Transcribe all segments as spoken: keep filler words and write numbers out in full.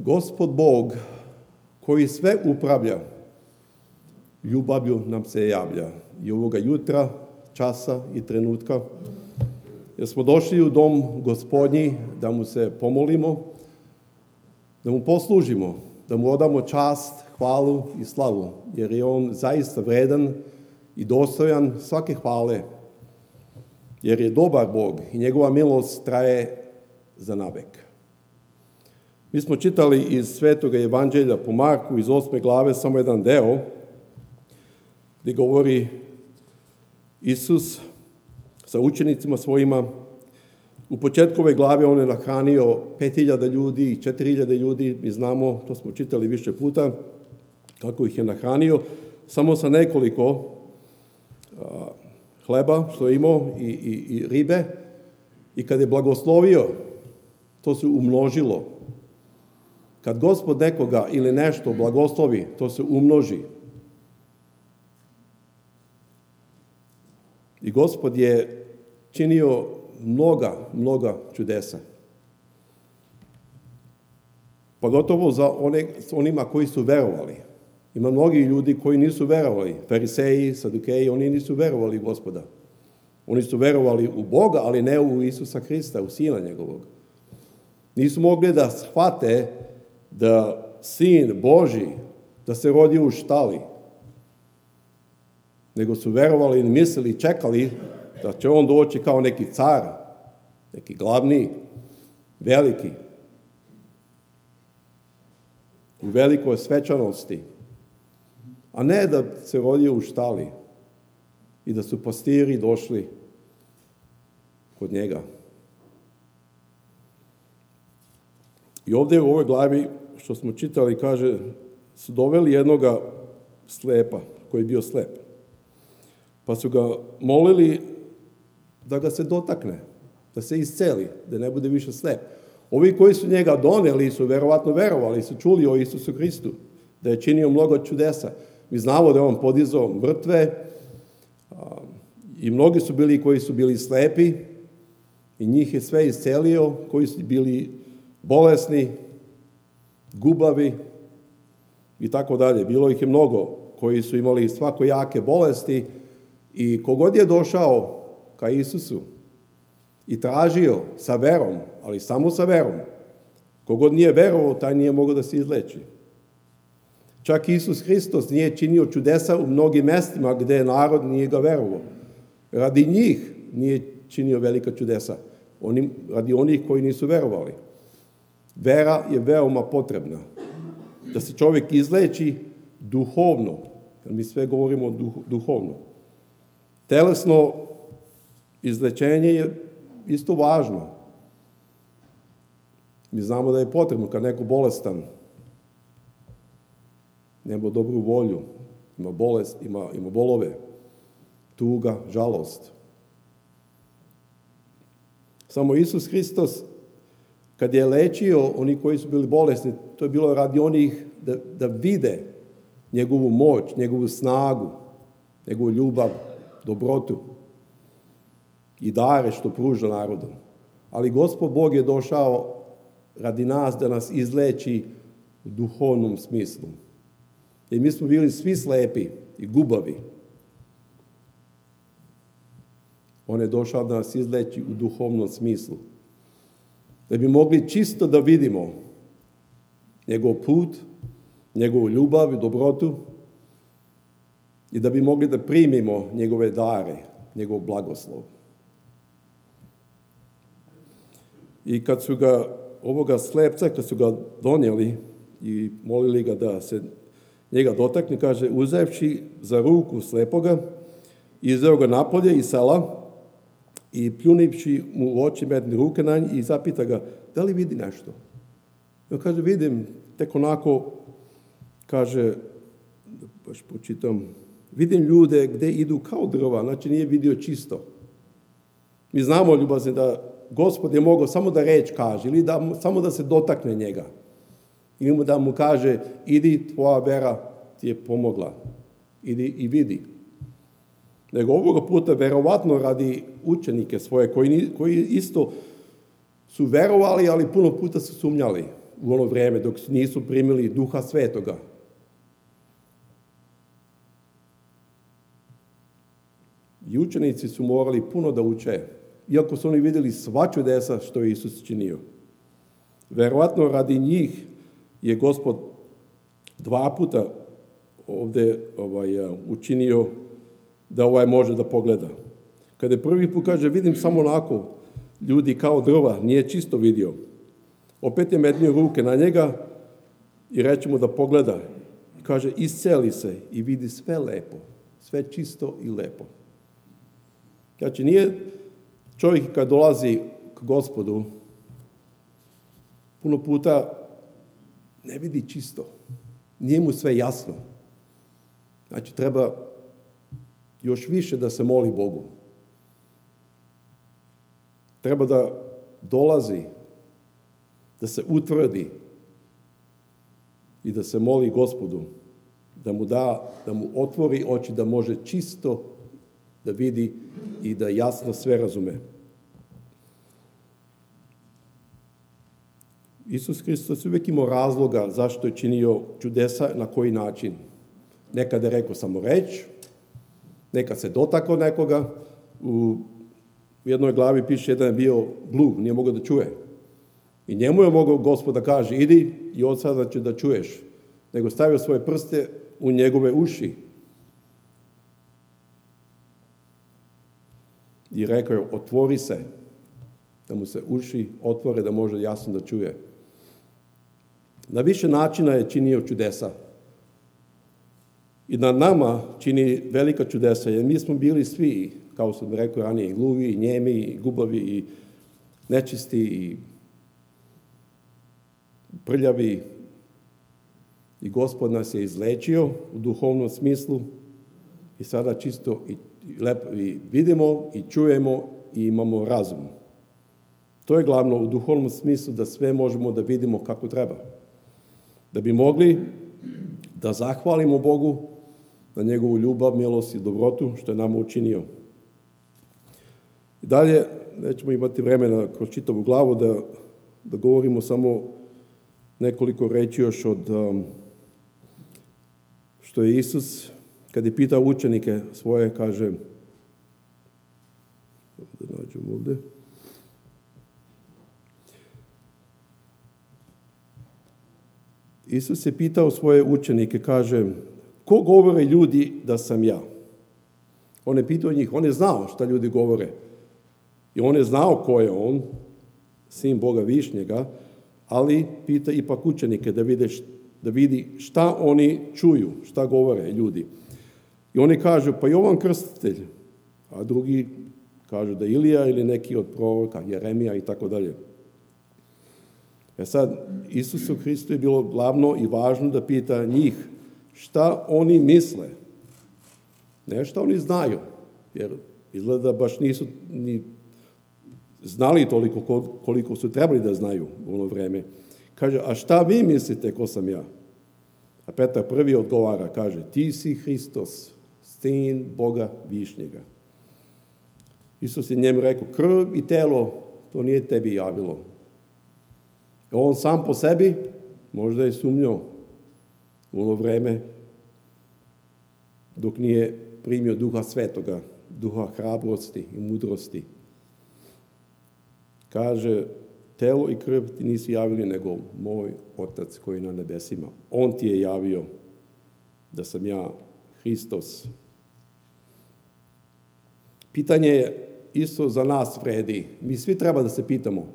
Gospod Bog, koji sve upravlja, ljubavlju nam se javlja. I ovoga jutra, časa i trenutka, jer smo došli u dom Gospodnji da mu se pomolimo, da mu poslužimo, da mu odamo čast, hvalu i slavu, jer je on zaista vredan i dostojan svake hvale, jer je dobar Bog i njegova milost traje za navek. Mi smo čitali iz Svetoga evanđelja po Marku, iz osme glave, samo jedan deo, gdje govori Isus sa učenicima svojima. U početku ove glave on je nahranio pet hiljada ljudi i četiri hiljade ljudi. Mi znamo, to smo čitali više puta, kako ih je nahranio, samo sa nekoliko a, hleba što je imao i, i, i ribe. I kad je blagoslovio, to se umnožilo. Kad Gospod nekoga ili nešto blagoslovi, to se umnoži. I Gospod je činio mnoga, mnoga čudesa. Pogotovo za one, onima koji su verovali. Ima mnogi ljudi koji nisu verovali. Fariseji, Sadukeji, oni nisu verovali u Gospoda. Oni su verovali u Boga, ali ne u Isusa Hrista, u Sina njegovog. Nisu mogli da shvate da Sin Božji, da se rodi u štali. Nego su verovali i mislili, čekali da će on doći kao neki car, neki glavni, veliki, u velikoj svečanosti, a ne da se rodio u štali i da su pastiri došli kod njega. I ovdje u ovoj glavi, što smo čitali, kaže, su doveli jednoga slepa, koji je bio slep. Pa su ga molili da ga se dotakne, da se isceli, da ne bude više slep. Ovi koji su njega doneli su verovatno verovali, su čuli o Isusu Hristu, da je činio mnogo čudesa. Mi znamo da je on podizao mrtve i mnogi su bili koji su bili slepi i njih je sve iscelio, koji su bili bolesni, gubavi i tako dalje. Bilo ih je mnogo koji su imali svakojake bolesti i kogod je došao ka Isusu i tražio sa verom, ali samo sa verom, kogod nije verovao, taj nije mogao da se izleči. Čak Isus Hristos nije činio čudesa u mnogim mestima gdje narod nije ga verovao. Radi njih nije činio velika čudesa, Oni, radi onih koji nisu verovali. Vera je veoma potrebna. Da se čovjek izleči duhovno, jer mi sve govorimo duh, duhovno. Telesno izlečenje je isto važno. Mi znamo da je potrebno kad neko bolestan, nema dobru volju, ima bolest, ima, ima bolove, tuga, žalost. Samo Isus Hristos, kad je lečio oni koji su bili bolesni, to je bilo radi onih da, da vide njegovu moć, njegovu snagu, njegovu ljubav, dobrotu i dare što pruža narodu. Ali Gospod Bog je došao radi nas da nas izleči u duhovnom smislu. Jer mi smo bili svi slepi i gubavi. On je došao da nas izleči u duhovnom smislu. Da bi mogli čisto da vidimo njegov put, njegovu ljubav i dobrotu i da bi mogli da primimo njegove dare, njegov blagoslov. I kad su ga, ovoga slepca, kad su ga donijeli i molili ga da se njega dotakne, kaže, uzevši za ruku slepoga, izveo ga napolje iz sela i pljunivši mu u oči medne ruke na njih i zapita ga, da li vidi nešto? I on kaže, vidim, tek onako, kaže, baš počitam, vidim ljude gde idu kao drva, znači nije vidio čisto. Mi znamo, ljubazni, da Gospod je mogao samo da reč kaže ili da, samo da se dotakne njega. Ili mu da mu kaže, idi, tvoja vera ti je pomogla. Idi i vidi. Nego ovoga puta verovatno radi učenike svoje, koji, koji isto su verovali, ali puno puta su sumnjali. u ono vrijeme dok nisu primili Duha Svetoga. I učenici su morali puno da uče, iako su oni vidjeli sva čudesa što je Isus činio. Verovatno radi njih je Gospod dva puta ovdje ovaj, učinio da ovaj može da pogleda. Kada je prvi put kaže, vidim samo onako ljudi kao drva, nije čisto vidio. Opet je mednio ruke na njega i reče mu da pogleda. Kaže, isceli se i vidi sve lepo, sve čisto i lepo. Znači, nije čovjek kad dolazi k Gospodu, puno puta ne vidi čisto. Nije mu sve jasno. Znači, treba još više da se moli Bogu. Treba da dolazi, da se utvrdi i da se moli Gospodu, da mu da, da mu otvori oči, da može čisto da vidi i da jasno sve razume. Isus Hristos uvijek imao razloga zašto je činio čudesa, na koji način. Nekad je rekao samo reč, nekad se dotakao nekoga. U jednoj glavi piše, jedan je bio gluh, nije mogao da čuje. I njemu je mogao Gospod da kaže, idi i od sada će da čuješ. Nego stavio svoje prste u njegove uši. I rekao je, otvori se, da mu se uši otvore, da može jasno da čuje. Na više načina je činio čudesa. I na nama čini velika čudesa, jer mi smo bili svi, kao sam rekao ranije, gluvi, i njemi, i gubavi, i nečisti, i prljavi. I Gospod nas je izlečio u duhovnom smislu i sada čisto i, lepo, i vidimo i čujemo i imamo razum. To je glavno u duhovnom smislu, da sve možemo da vidimo kako treba. Da bi mogli da zahvalimo Bogu na njegovu ljubav, milost i dobrotu što je nama učinio. I dalje, nećemo imati vremena kroz čitavu glavu da, da govorimo samo nekoliko reći još od um, što je Isus, kad je pitao učenike svoje, kaže, da nađem ovdje, Isus je pitao svoje učenike, kaže, ko govore ljudi da sam ja? On je pitao njih, on je znao šta ljudi govore. I on je znao ko je on, sin Boga Višnjega, ali pita ipak učenike da, vide, da vidi šta oni čuju, šta govore ljudi. I oni kažu, pa Jovan Krstitelj, a drugi kažu da Ilija ili neki od proroka, Jeremija i tako dalje. E sad, Isusu Hristu je bilo glavno i važno da pita njih šta oni misle. Ne šta oni znaju, jer izgleda baš nisu ni znali toliko koliko su trebali da znaju u ono vreme. Kaže, a šta vi mislite ko sam ja? A Petar prvi odgovara, kaže, ti si Hristos, sin Boga Višnjega. Isus je njemu rekao, krv i telo, to nije tebi javilo. On sam po sebi možda je sumnjao u ono vreme dok nije primio Duha Svetoga, Duha hrabrosti i mudrosti. Kaže, telo i krv ti nisu javili, nego moj Otac koji je na nebesima. On ti je javio da sam ja Hristos. Pitanje je isto za nas vredi. Mi svi treba da se pitamo,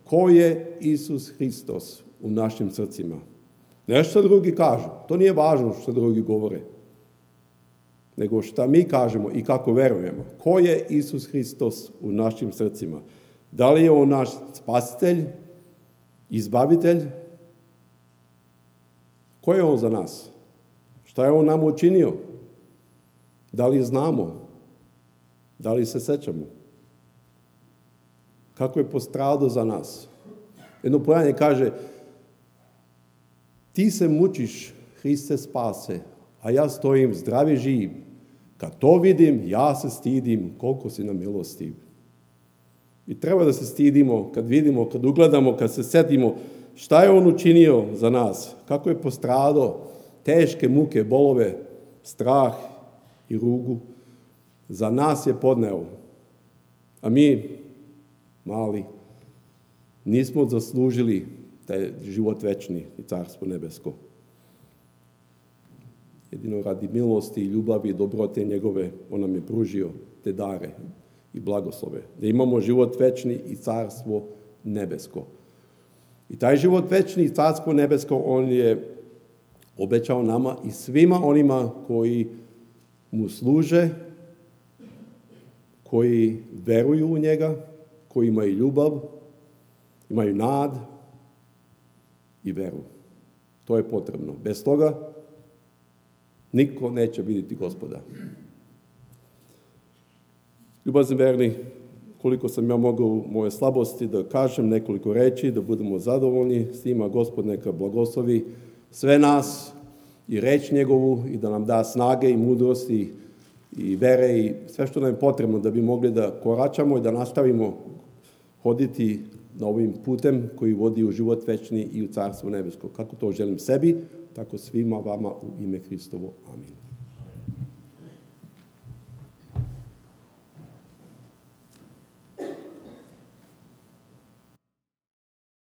ko je Isus Hristos u našim srcima? Ne što drugi kažu, to nije važno što drugi govore, nego šta mi kažemo i kako verujemo. Ko je Isus Hristos u našim srcima? Da li je on naš spasitelj, izbavitelj? Ko je on za nas? Šta je on nam učinio? Da li znamo? Da li se sećamo? Kako je postradao za nas? Jedno pojanje kaže, ti se mučiš, Hriste spase, a ja stojim zdravi živ. Kad to vidim, ja se stidim koliko si nam milostiv. I treba da se stidimo kad vidimo, kad ugledamo, kad se setimo šta je on učinio za nas, kako je postradao, teške muke, bolove, strah i rugu, za nas je podneo. A mi, mali, nismo zaslužili taj život večni i carstvo nebesko. Jedino radi milosti i ljubavi i dobrote njegove, on nam je pružio te dare i blagoslove. Da imamo život večni i carstvo nebesko. I taj život večni i carstvo nebesko on je obećao nama i svima onima koji mu služe, koji veruju u njega, koji imaju ljubav, imaju nad i veru. To je potrebno. Bez toga niko neće vidjeti Gospoda. Ljubazni verni, koliko sam ja mogao u moje slabosti da kažem nekoliko reči, da budemo zadovoljni s njima, Gospod neka blagoslovi sve nas i reč njegovu i da nam da snage i mudrosti i vere i sve što nam je potrebno da bi mogli da koračamo i da nastavimo hoditi na ovim putem koji vodi u život večni i u carstvo nebesko. Kako to želim sebi, tako svima vama u ime Hristovo. Amin.